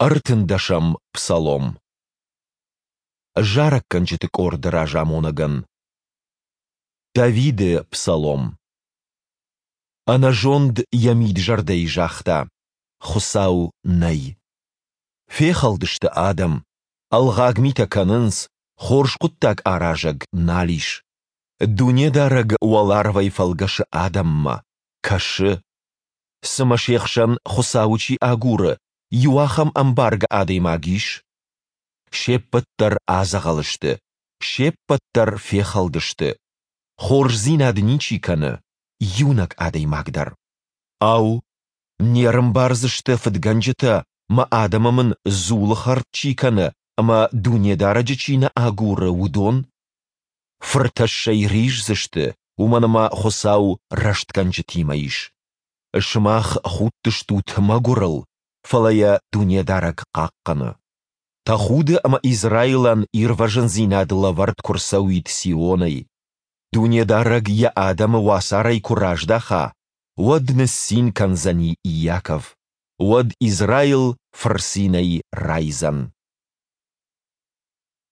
Ӕртындӕсӕм псалом. Зарӕггӕнджыты къорды разамонӕгӕн. Давиды псалом. Ӕнӕзонд йӕ мид-зӕрдӕйы загъта: Хуыцау нӕй. Фехӕлдысты адӕм, ӕлгъаг митӕ кӕнынц, хорз хъуыддаг аразӕг нал ис. Дунедарӕг уӕларвӕй фӕлгӕсы адӕммӕ, кӕсы. Цымӕ се хсӕн Хуыцауы чи агуры, иу ахӕм ӕмбаргӕ адӕймаг ис? Се ппӕт дӕр адзӕгъӕл сты, се ппӕт дӕр фехӕлдысты. Хорздзинад ничи кӕны, иунӕг адӕймаг дӕр. Ау, не рӕмбардзысты фыдгӕнджытӕ, мӕ адӕмы мын дзулы хӕрд чи кӕны ӕмӕ Дунедарӕджы чи нӕ агуры, уыдон? Фыртӕссӕй риздзысты, уымӕн ӕмӕ Хуыцау рӕстгӕнджытимӕ ис. Сымах худтыстут мӕгуырыл, фӕлӕ йӕ Дунедарӕг хъахъхъӕны. Тӕхуды ӕмӕ Израилӕн ирвӕзындзинад лӕвӕрд куы рцӕуид Сионӕй! Дунедарӕг йӕ адӕмы уацарӕй куы раздаха, уӕд ныццин кӕндзӕни Иаков, уӕд Израил фырцинӕй райдзӕн.